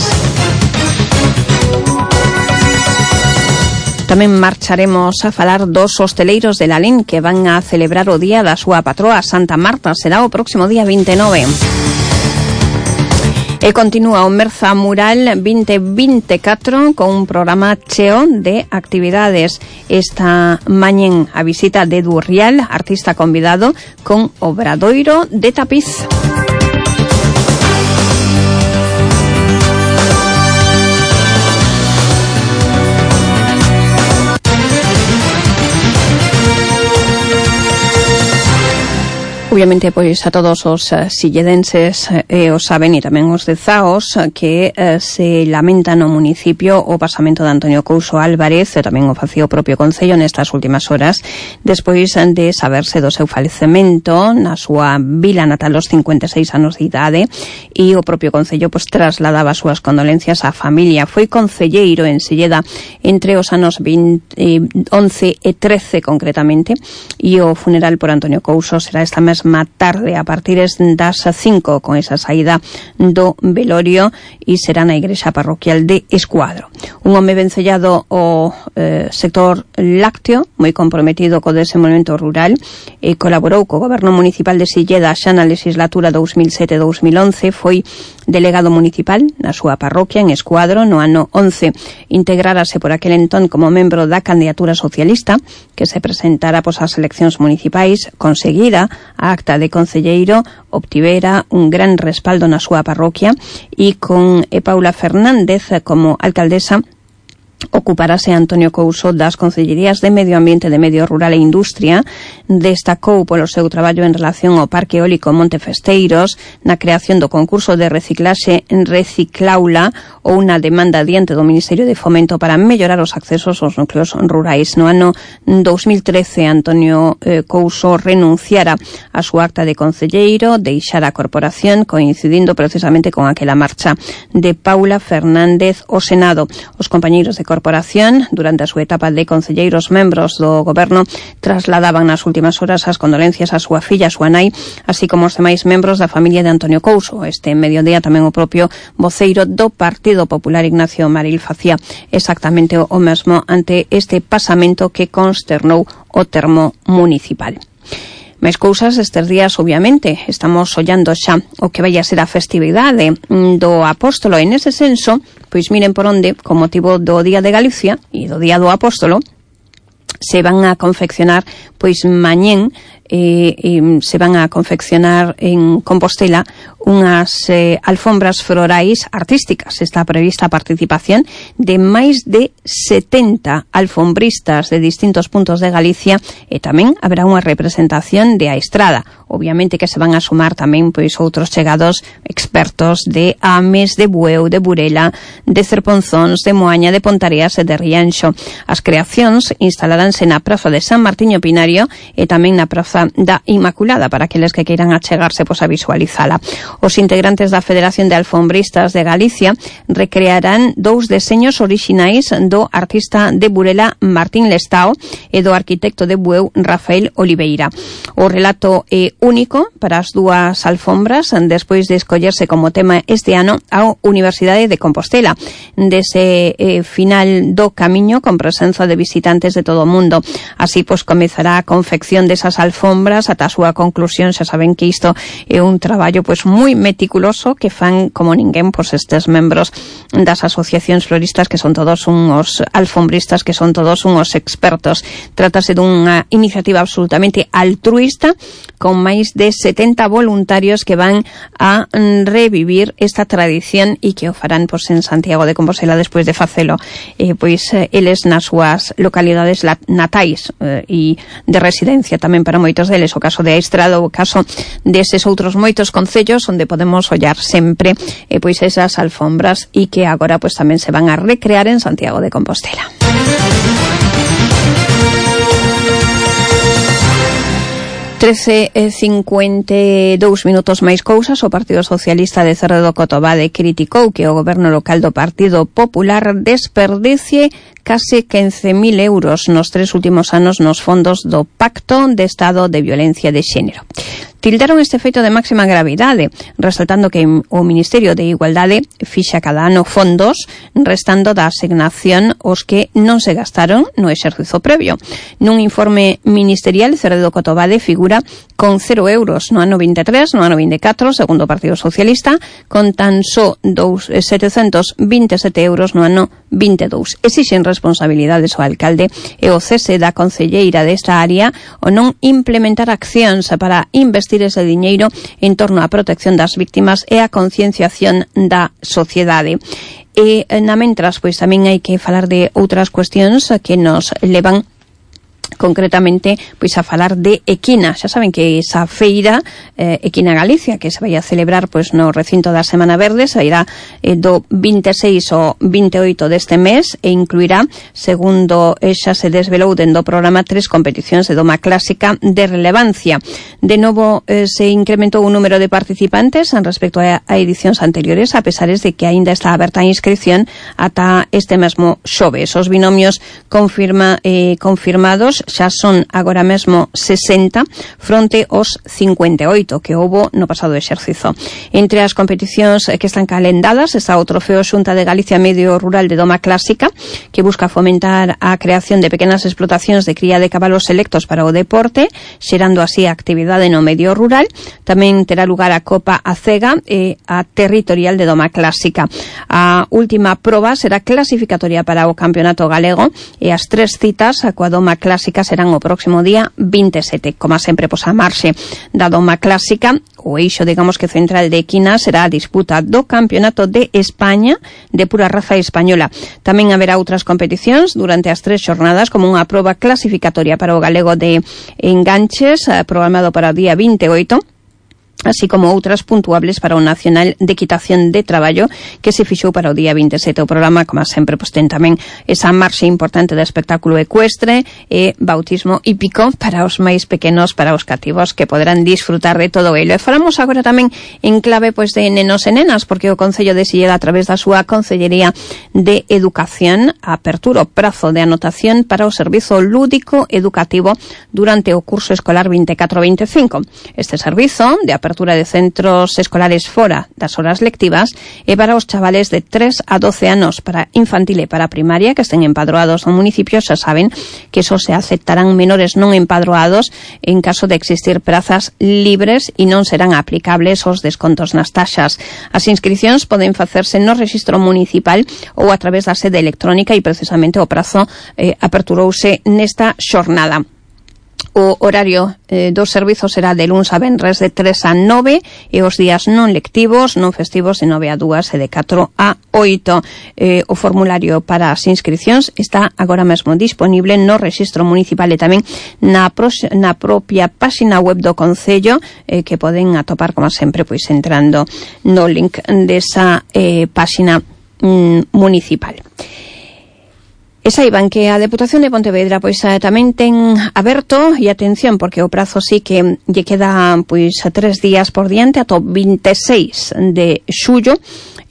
Tamén marcharemos a falar dos hosteleiros de Lalín que van a celebrar o día da súa patroa Santa Marta. Será o próximo día veintinueve. E continúa o Merza Mural veinte veinticuatro con un programa cheo de actividades. Esta mañén a visita de Edu Rial, artista convidado, con obradoiro de tapiz. Obviamente, pois a todos os uh, silledenses eh, os saben, e tamén os de Zaos, que eh, se lamenta no municipio o pasamento de Antonio Couso Álvarez, e tamén o facía o propio Concello nestas últimas horas, despois de saberse do seu falecemento na súa vila natal aos cincuenta e seis anos de idade, e o propio Concello pois trasladaba as súas condolencias á familia. Foi concelleiro en Silleda entre os anos veinte, eh, once e trece concretamente, e o funeral por Antonio Couso será esta mesma tarde a partir das cinco con esa saída do velorio e será na igrexa parroquial de Escuadro. Un home vencellado ao eh, sector lácteo, moi comprometido co desenvolvemento rural, e colaborou co goberno municipal de Silleda xa na legislatura dous mil sete a dous mil once, foi delegado municipal na súa parroquia en Escuadro no ano once. Integrárase por aquel entón como membro da candidatura socialista que se presentara pos as eleccións municipais, conseguira a acta de concelleiro, obtivera un gran respaldo na súa parroquia e con e Paula Fernández como alcaldesa ocuparase Antonio Couso das concellerías de Medio Ambiente, de Medio Rural e Industria. Destacou polo seu traballo en relación ao Parque Eólico Monte Festeiros, na creación do concurso de reciclaxe en Reciclaula ou na demanda diante do Ministerio de Fomento para mellorar os accesos aos núcleos rurais. No ano dous mil trece, Antonio eh, Couso renunciara a súa acta de concelleiro, deixara a corporación, coincidindo precisamente con aquela marcha de Paula Fernández ao Senado. Os compañeiros de corporación, durante a súa etapa de concelleiros membros do goberno, trasladaban nas últimas horas as condolencias a súa filla, a súa nai, así como os demais membros da familia de Antonio Couso. Este mediodía tamén o propio voceiro do Partido Popular, Ignacio Maril, facía exactamente o mesmo ante este pasamento que consternou o termo municipal. Máis cousas estes días, obviamente, estamos ollando xa o que vai a ser a festividade do Apóstolo. En ese senso, pois miren por onde, con motivo do Día de Galicia e do Día do Apóstolo, se van a confeccionar, pois mañén, eh, eh, se van a confeccionar en Compostela unhas eh, alfombras florais artísticas. Está prevista a participación de máis de setenta alfombristas de distintos puntos de Galicia, e tamén haberá unha representación de a Estrada. Obviamente que se van a sumar tamén pois outros chegados expertos de Ames, de Bueu, de Burela, de Cerponzóns, de Moaña, de Pontareas e de Rianxo. As creacións instalaránse na Praza de San Martiño Pinario e tamén na Praza da Inmaculada, para aqueles que queiran achegarse pois a visualizala. Os integrantes da Federación de Alfombristas de Galicia recrearán dous deseños orixinais do artista de Burela Martín Lestao e do arquitecto de Bueu Rafael Oliveira. O relato é único para as dúas alfombras despois de escollerse como tema este ano a Universidade de Compostela. Dese eh, final do camiño con presenza de visitantes de todo o mundo. Así, pois, comezará a confección desas alfombras ata a súa conclusión. Xa saben que isto é un traballo, pois, moi meticuloso que fan como ninguén, pois, estes membros das asociacións floristas que son todos unhos alfombristas, que son todos unhos expertos. Trátase dunha iniciativa absolutamente altruista con máis de setenta voluntarios que van a revivir esta tradición e que o farán, pois, en Santiago de Compostela despois de facelo eh, pois eh, eles nas súas localidades natais eh, e de residencia tamén para moitos deles, o caso de Aistrado, o caso deses outros moitos concellos onde podemos ollar sempre eh, pois esas alfombras e que agora pois tamén se van a recrear en Santiago de Compostela. trece e cincuenta e dous minutos máis cousas. O Partido Socialista de Cerro do Cotobade criticou que o goberno local do Partido Popular desperdicie case quince mil euros nos tres últimos anos nos fondos do Pacto de Estado de Violencia de Xénero. Tildaron este feito de máxima gravidade, resaltando que o Ministerio de Igualdade fixa cada ano fondos restando da asignación os que non se gastaron no exercizo previo. Nun informe ministerial, Cerro do Cotobade figura con cero euros no ano vinte e tres, no ano vinte e catro, segundo o Partido Socialista, con tan só setecentos vinte e sete euros no ano vinte e dous. Exixen responsabilidades ao alcalde e o cese da concelleira desta área o non implementar accións para investir ese diñeiro en torno á protección das víctimas e a concienciación da sociedade. E na mentras, pois tamén hai que falar de outras cuestións que nos levan concretamente pois a falar de Equina. Xa saben que esa feira eh, Equina Galicia que se vai a celebrar pois no recinto da Semana Verde se irá eh, do vinte e seis ao vinte e oito deste mes e incluirá, segundo xa se desvelou dentro do programa, tres competicións de doma clásica de relevancia. De novo eh, se incrementou o número de participantes en respecto a, a edicións anteriores, a pesares de que aínda está aberta a inscripción ata este mesmo xoves. Os binomios confirma, eh, confirmados xa son agora mesmo sesenta fronte aos cincuenta e oito que houbo no pasado exercizo. Entre as competicións que están calendadas está o Trofeo Xunta de Galicia Medio Rural de Doma Clásica, que busca fomentar a creación de pequenas explotacións de cría de cabalos selectos para o deporte, xerando así a actividade no medio rural. Tamén terá lugar a Copa Acega e a Territorial de Doma Clásica. A última proba será clasificatoria para o Campeonato Galego e as tres citas a coa Doma Clásica serán o próximo día vinte e sete. Como sempre, pois a marxe da Doma Clásica, o eixo, digamos que central de Equina, será a disputa do Campeonato de España de pura raza española. Tamén haberá outras competicións durante as tres xornadas, como unha proba clasificatoria para o galego de enganches, programado para o día vinte e oito, así como outras puntuables para o Nacional de Equitación de Traballo que se fixou para o día vinte e sete. O programa, como sempre, pois ten tamén esa marxe importante de espectáculo ecuestre e bautismo hípico para os máis pequenos, para os cativos, que poderán disfrutar de todo ello. E falamos agora tamén en clave pois de nenos e nenas, porque o Concello de Silleda, a través da súa Concellería de Educación, apertura o prazo de anotación para o servizo lúdico educativo durante o curso escolar vinte e catro vinte e cinco. Este servizo de apertura apertura de centros escolares fora das horas lectivas e para os chavales de tres a doce anos, para infantil e para primaria que estén empadroados no municipio. Xa saben que só se aceptarán menores non empadroados en caso de existir prazas libres e non serán aplicables os descontos nas taxas. As inscricións poden facerse no rexistro municipal ou a través da sede electrónica e precisamente o prazo eh, aperturouse nesta xornada. O horario eh, dos servizos será de luns a venres de tres a nove e os días non lectivos, non festivos, de nove a dúas e de catro a oito. Eh, o formulario para as inscricións está agora mesmo disponible no rexistro municipal e tamén na, pros, na propia páxina web do Concello, eh, que poden atopar, como sempre, pois entrando no link desa eh, páxina mm, municipal. E saiban que a Deputación de Pontevedra pois tamén ten aberto, e atención, porque o prazo sí que lle queda pois tres días por diante ata o vinte e seis de xullo,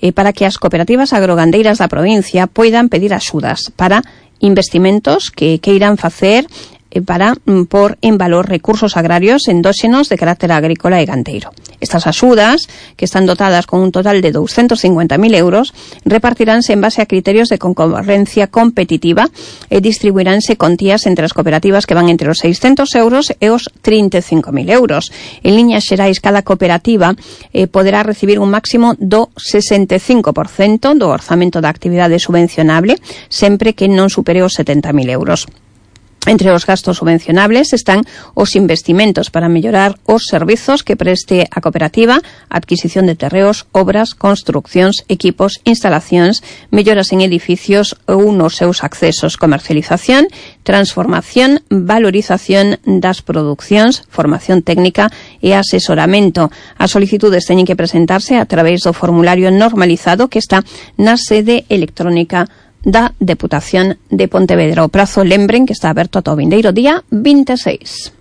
eh, para que as cooperativas agrogandeiras da provincia poidan pedir axudas para investimentos que queiran facer eh, para mm, por en valor recursos agrarios endóxenos de carácter agrícola e gandeiro. Estas axudas, que están dotadas con un total de doscientos cincuenta mil euros, repartiránse en base a criterios de concurrencia competitiva e distribuiránse contías entre as cooperativas que van entre os seiscentos euros e os trinta e cinco mil euros. En liñas xerais, cada cooperativa eh, poderá recibir un máximo do sesenta e cinco por cento do orzamento da actividade subvencionable, sempre que non supere os setenta mil euros. Entre os gastos subvencionables están os investimentos para mellorar os servizos que preste a cooperativa, adquisición de terreos, obras, construccións, equipos, instalacións, melloras en edificios ou nos seus accesos, comercialización, transformación, valorización das producións, formación técnica e asesoramento. As solicitudes teñen que presentarse a través do formulario normalizado que está na sede electrónica da Deputación de Pontevedra. O prazo, lembren que está aberto ata o vindeiro día vinte e seis.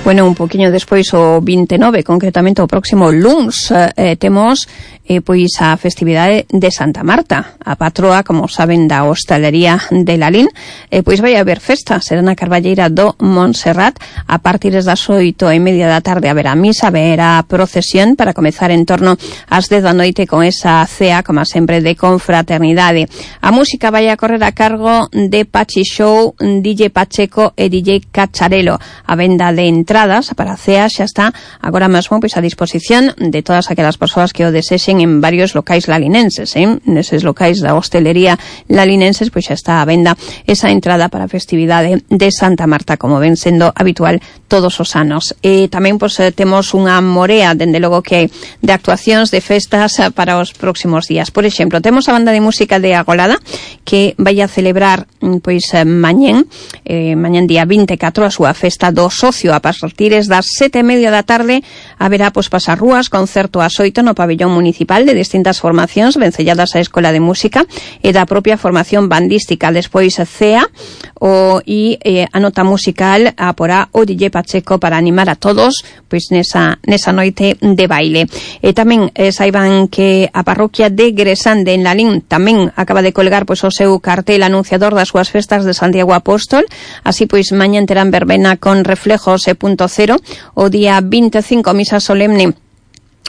Bueno, un poquinho despois o vinte e nove, concretamente o próximo luns, eh, temos eh, pois a festividade de Santa Marta, a patroa, como saben, da hostalería de Lalín. Eh, pois vai haber festa, será na Carballeira do Montserrat, a partir das oito e media da tarde haberá misa, haberá procesión para comezar en torno ás dez da noite con esa cea, como sempre, de confraternidade. A música vai a correr a cargo de Pachi Show, D J Pacheco e D J Cacharelo. A venda de entradas para a cea xa está agora mesmo pois a disposición de todas aquelas persoas que o desexen en varios locais lalinenses, eh? Neses locais da hostelería lalinenses pois xa está a venda esa entrada para a festividade de Santa Marta, como ven sendo habitual todos os anos. E tamén pois temos unha morea, dende logo, que de actuacións, de festas para os próximos días. Por exemplo, temos a banda de música de Agolada, que vai a celebrar pois mañén, eh, mañén día vinte e catro, a súa festa do socio. A partir das sete e media da tarde haberá pois pasar rúas, concerto ás oito no pabellón municipal de distintas formacións vencelladas á Escola de Música e da propia formación bandística. Despois C E A o, e eh, a nota musical a porá o D J Pacheco para animar a todos pois nesa, nesa noite de baile. E tamén eh, saiban que a parroquia de Gresande en Lalín tamén acaba de colgar pois o seu cartel anunciador das súas festas de Santiago Apóstol. Así pois mañan terán verbena con reflejos e punto cero, o día vinte e cinco misa solemne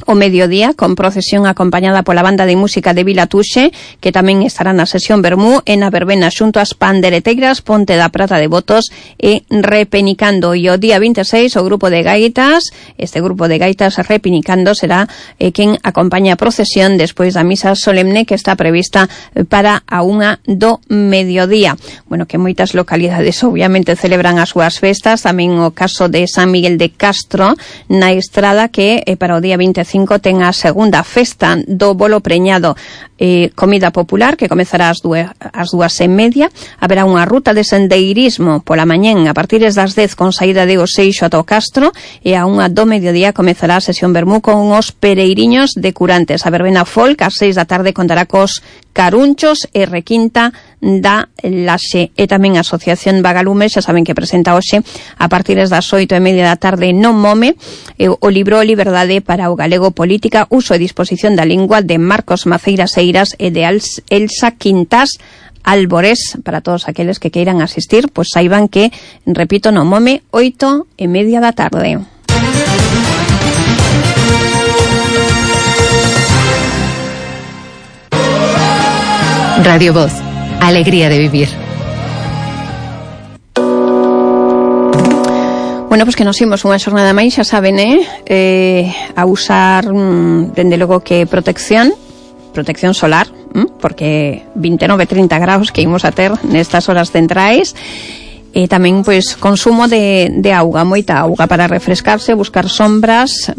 o mediodía, con procesión acompañada pola banda de música de Vila Tuxe, que tamén estará na sesión Bermú e na verbena xunto ás pandereteiras Ponte da Prata de Botos e Repenicando. E o día vinte e seis o grupo de gaitas, este grupo de gaitas Repenicando será eh, quen acompaña a procesión despois da misa solemne que está prevista para a unha do mediodía. Bueno, que moitas localidades obviamente celebran as súas festas, tamén o caso de San Miguel de Castro na Estrada, que eh, para o día vinte e cinco ten a segunda festa do bolo preñado, eh, comida popular, que comezará ás dúas, ás dúas e media. Haberá unha ruta de sendeirismo pola mañén a partir das dez con saída de Oseixo ata o Castro, e a unha do mediodía comezará a sesión Bermú con os pereiriños de Curantes. A verbena folk ás seis da tarde contará cos Carunchos e Requinta da Laxe. E tamén a Asociación Vagalumes, xa saben que presenta hoxe a partir das oito e media da tarde no Mome eh, o libro Liberdade para o Galego, Política, Uso e Disposición da Lingua, de Marcos Maceiras Eiras e de Elsa Quintas Alborés. Para todos aqueles que queiran asistir, pois saiban que, repito, no Mome, oito e media da tarde. Radio Voz, alegría de vivir. Bueno, pois pues que nos imos unha xornada máis, xa saben, eh, eh a usar mm, dende logo que protección, protección solar, mm, porque vinte e nove, trinta graus que imos a ter nestas horas centrais. E tamén pois consumo de, de auga, moita auga para refrescarse, buscar sombras,